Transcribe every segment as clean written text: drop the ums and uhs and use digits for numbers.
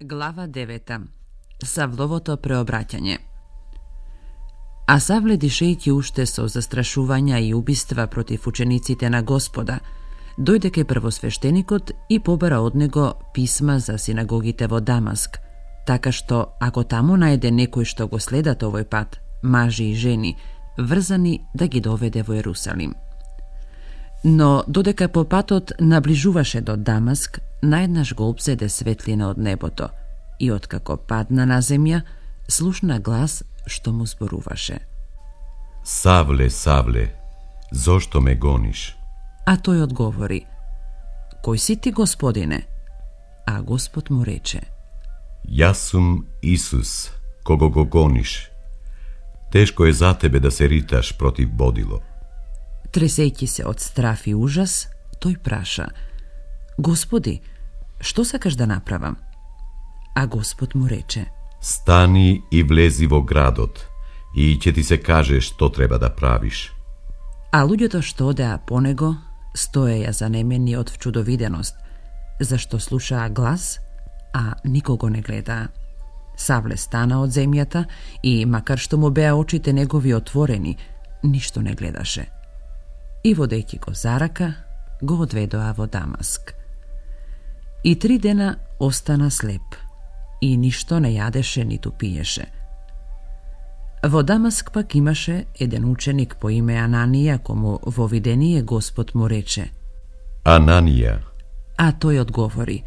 Глава 9. Савловото преобраќање. А Савле, дишејќи уште со застрашувања и убиства против учениците на Господа, дојде кај првосвештеникот и побара од него писма за синагогите во Дамаск, така што ако таму најде некој што го следат овој пат, мажи и жени, врзани да ги доведе во Ерусалим. Но додека по патот наближуваше до Дамаск, наеднаш го обзеде светлина од небото и откако падна на земја, слушна глас што му зборуваше: Савле, Савле, зошто ме гониш? А тој одговори: Кој си ти, Господине? А Господ му рече: Јас сум Исус, кого го гониш. Тешко е за тебе да се риташ против бодило. Тресејќи се од страф и ужас, тој праша: Господи, што сакаш да направам? А Господ му рече: Стани и влези во градот и ќе ти се каже што треба да правиш. А луѓето што одеа по него стоеја занемени од вчудовиденост, зашто слушаа глас, а никого не гледаа. Савле стана од земјата и, макар што му беа очите негови отворени, ништо не гледаше. И водејќи го за рака, го одведоа во Дамаск. И 3 дена остана слеп и ништо не јадеше ниту пиеше. Во Дамаск пак имаше еден ученик по име Ананија, кому во видение Господ му рече: Ананија. А тој одговори: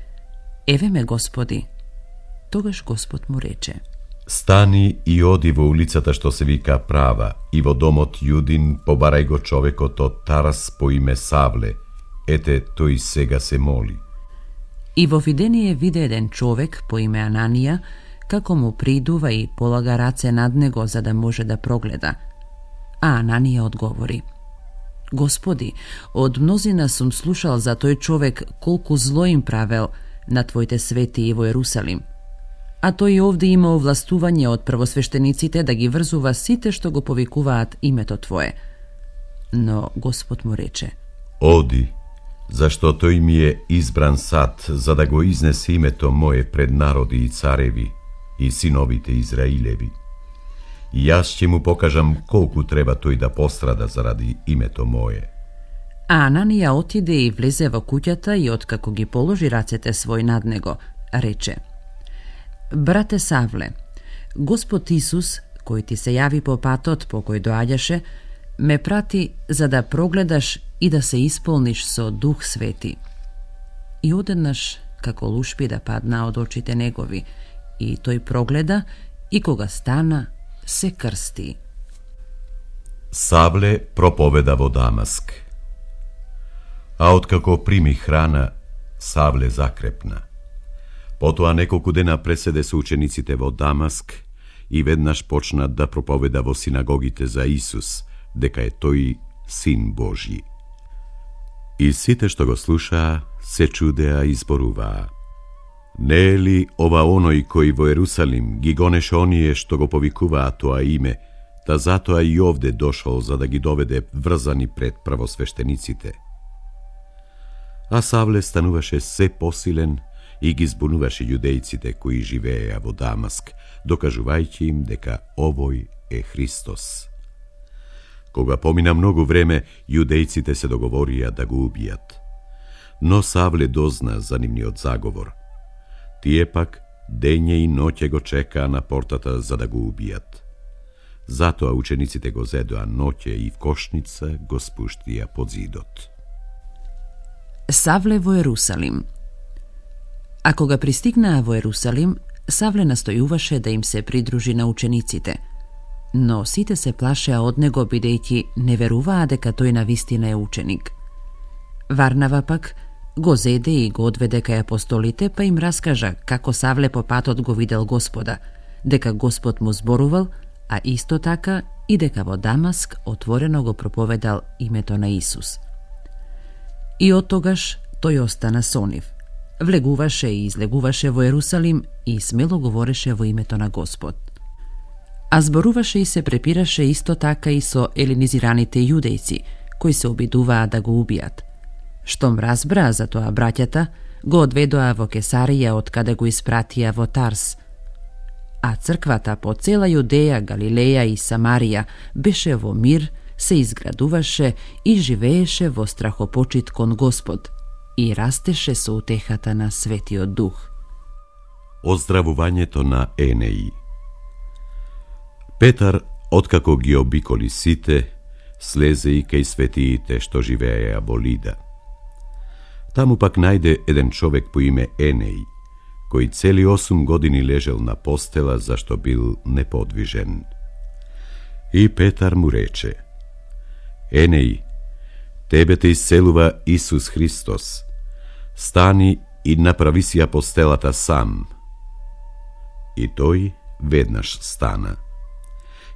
Еве ме, Господи. Тогаш Господ му рече: Стани и оди во улицата што се вика Права и во домот Јудин побарај го човекот од Тарас по име Савле. Ете, тој сега се моли. И во видение виде еден човек по име Ананија, како му придува и полага раце над него за да може да прогледа. А Ананија одговори: Господи, од мнозина сум слушал за тој човек колку зло им правел на Твоите свети и во Ерусалим. А тој овде има овластување од првосвештениците да ги врзува сите што го повикуваат името Твое. Но Господ му рече: Оди, зашто тој ми е избран сад за да го изнесе името Мое пред народи и цареви и синовите Израилеви. И јас ќе му покажам колку треба тој да пострада заради името Мое. А Ананија отиде и влезе во куќата и откако ги положи рацете свој над него, рече: Брате Савле, Господ Исус, кој ти се јави по патот по кој доаѓаше, ме прати за да прогледаш и да се исполниш со Дух Свети. И одеднаш, како лушпи да падна од очите негови, и тој прогледа и кога стана, се крсти. Савле проповеда во Дамаск. А откако прими храна, Савле закрепна. Потоа неколку дена преседе со учениците во Дамаск и веднаш почна да проповеда во синагогите за Исус, дека е тој Син Божји. И сите што го слушаа се чудеа и зборуваа: Не е ли ова оној кој во Ерусалим ги гонеше оние што го повикуваа тоа име, та затоа и овде дошол за да ги доведе врзани пред првосвештениците? А Савле стануваше се посилен и ги збунуваше јудејците кои живееја во Дамаск, докажувајќи им дека овој е Христос. Кога помина многу време, јудејците се договорија да го убијат. Но Савле дозна за нивниот заговор. Тие пак дење и ноќе го чекаа на портата за да го убијат. Затоа учениците го зедоа ноќе и в кошница го спуштија под зидот. Савле во Ерусалим. А кога пристигнаа во Ерусалим, Савле настојуваше да им се придружи на учениците, но сите се плашеа од него бидејќи не веруваа дека тој навистина е ученик. Варнава пак го зеде и го одведе кај апостолите, па им раскажа како Савле по патот го видел Господа, дека Господ му зборувал, а исто така и дека во Дамаск отворено го проповедал името на Исус. И од тогаш тој остана со нив. Влегуваше и излегуваше во Ерусалим и смело говореше во името на Господ. А зборуваше и се препираше исто така и со еленизираните јудејци, кои се обидуваа да го убијат. Штом разбраа за тоа браќата, го одведоа во Кесарија од каде го испратија во Тарс. А црквата по цела Јудеја, Галилеја и Самарија беше во мир, се изградуваше и живееше во страхопочит кон Господ и растеше со утехата на Светиот Дух. Оздравувањето на Енеи. Петар, откако ги обиколи сите, слезе и кај светиите што живееја во Лида. Таму пак најде еден човек по име Енеи, кој цели 8 години лежел на постела зашто бил неподвижен. И Петар му рече: Енеи, тебе те исцелува Исус Христос. Стани и направи си ја постелата сам. И тој веднаш стана.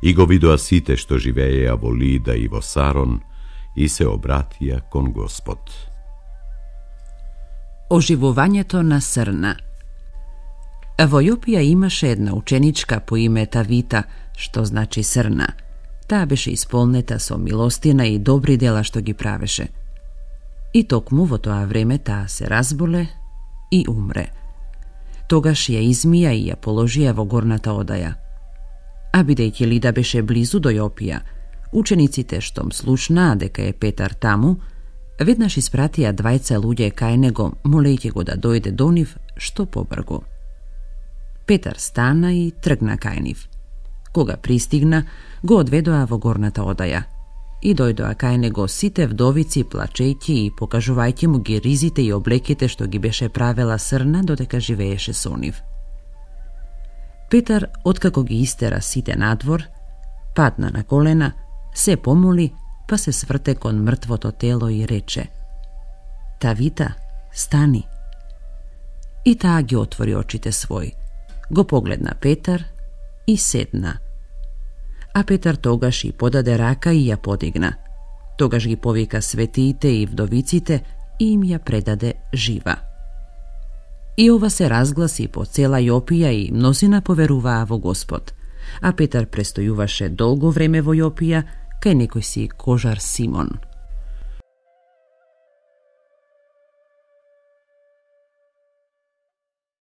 И го видоа сите што живееја во Лида и во Сарон и се обратија кон Господ. Оживувањето на срна. Во Јопија имаше една ученичка по име Тавита, што значи срна. Таа беше исполнета со милостина и добри дела што ги правеше. И токму во тоа време таа се разболе и умре. Тогаш ја измија и ја положија во горната одаја. А бидејќи Лида беше близу до Јопија, учениците штом слушнаа дека е Петар таму, веднаш испратија 2 луѓе кај него, молејќи го да дојде до нив што побргу. Петар стана и тргна кај нив. Кога пристигна, го одведоа во горната одаја и дојдоа кај него сите вдовици, плачејќи и покажувајќи му ги ризите и облеките што ги беше правела срна додека живееше со нив. Петар, откако ги истера сите надвор, падна на колена, се помоли, па се сврте кон мртвото тело и рече: Тавита, стани. И таа ги отвори очите свој, го погледна Петар и седна. А Петар тогаш и подаде рака и ја подигна. Тогаш ги повика светиите и вдовиците и им ја предаде жива. И ова се разгласи по цела Јопија и мнозина поверуваа во Господ. А Петар престојуваше долго време во Јопија, кај некој си кожар Симон.